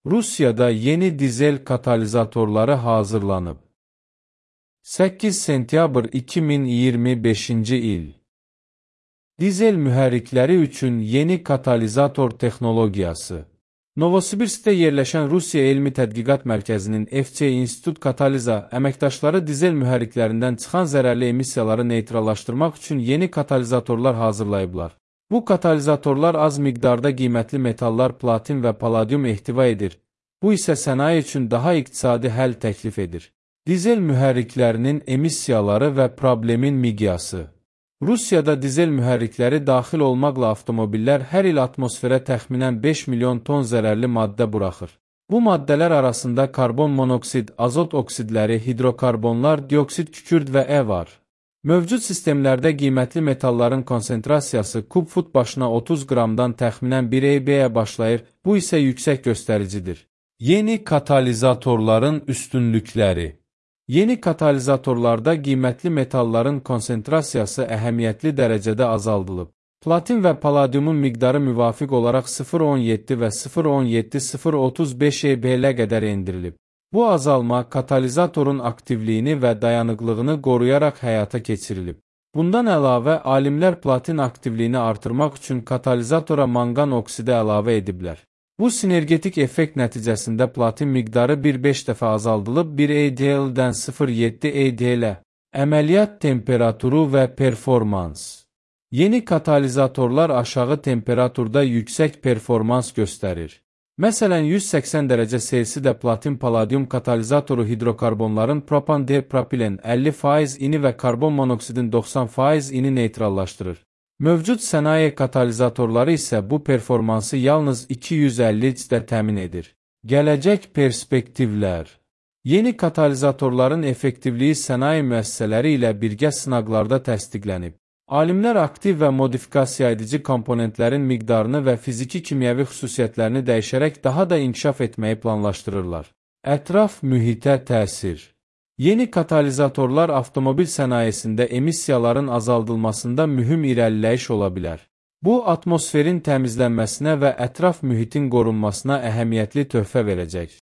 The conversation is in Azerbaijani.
Rusiyada yeni dizel katalizatorları hazırlanıb. 8 sentyabr 2025-ci il. Dizel mühərrikləri üçün yeni katalizator texnologiyası. Novosibirskdə yerləşən Rusiya Elmi Tədqiqat Mərkəzinin FC İnstitut Kataliza əməkdaşları dizel mühərriklərindən çıxan zərərli emissiyaları neytrallaşdırmaq üçün yeni katalizatorlar hazırlayıblar. Bu katalizatorlar az miqdarda qiymətli metallar platin və palladium ehtiva edir. Bu isə sənaye üçün daha iqtisadi həll təklif edir. Dizel mühərriklərinin emissiyaları və problemin miqyası. Rusiyada dizel mühərrikləri daxil olmaqla avtomobillər hər il atmosferə təxminən 5 milyon ton zərərli maddə buraxır. Bu maddələr arasında karbon monoksid, azot oksidləri, hidrokarbonlar, dioksid kükürd və var. Mövcud sistemlərdə qiymətli metalların konsentrasiyası kub fut başına 30 qramdan təxminən 1 EB-yə başlayır, bu isə yüksək göstəricidir. Yeni katalizatorların üstünlükləri. Yeni katalizatorlarda qiymətli metalların konsentrasiyası əhəmiyyətli dərəcədə azaldılıb. Platin və palladiumun miqdarı müvafiq olaraq 0,17 və 0,17-0,35 EB-lə qədər endirilib. Bu azalma katalizatorun aktivliyini və dayanıqlığını qoruyaraq həyata keçirilib. Bundan əlavə, alimlər platin aktivliyini artırmaq üçün katalizatora manqan oksidi əlavə ediblər. Bu sinergetik effekt nəticəsində platin miqdarı 1,5 dəfə azaldılıb 1 EDL-dən 0,7 EDL-ə. Əməliyyat temperaturu və performans. Yeni katalizatorlar aşağı temperaturda yüksək performans göstərir. Məsələn, 180 dərəcə Selsidə platin palladium katalizatoru hidrokarbonların propan-D-propilen 50% ini və karbon monoksidin 90% ini neytrallaşdırır. Mövcud sənaye katalizatorları isə bu performansı yalnız 250-də təmin edir. Gələcək perspektivlər. Yeni katalizatorların effektivliyi sənaye müəssisələri ilə birgə sınaqlarda təsdiqlənib. Alimlər aktiv və modifikasiya edici komponentlərin miqdarını və fiziki-kimyəvi xüsusiyyətlərini dəyişərək daha da inkişaf etməyi planlaşdırırlar. Ətraf mühitə təsir. Yeni katalizatorlar avtomobil sənayesində emissiyaların azaldılmasında mühüm irəliləyiş ola bilər. Bu, atmosferin təmizlənməsinə və ətraf mühitin qorunmasına əhəmiyyətli töhfə verəcək.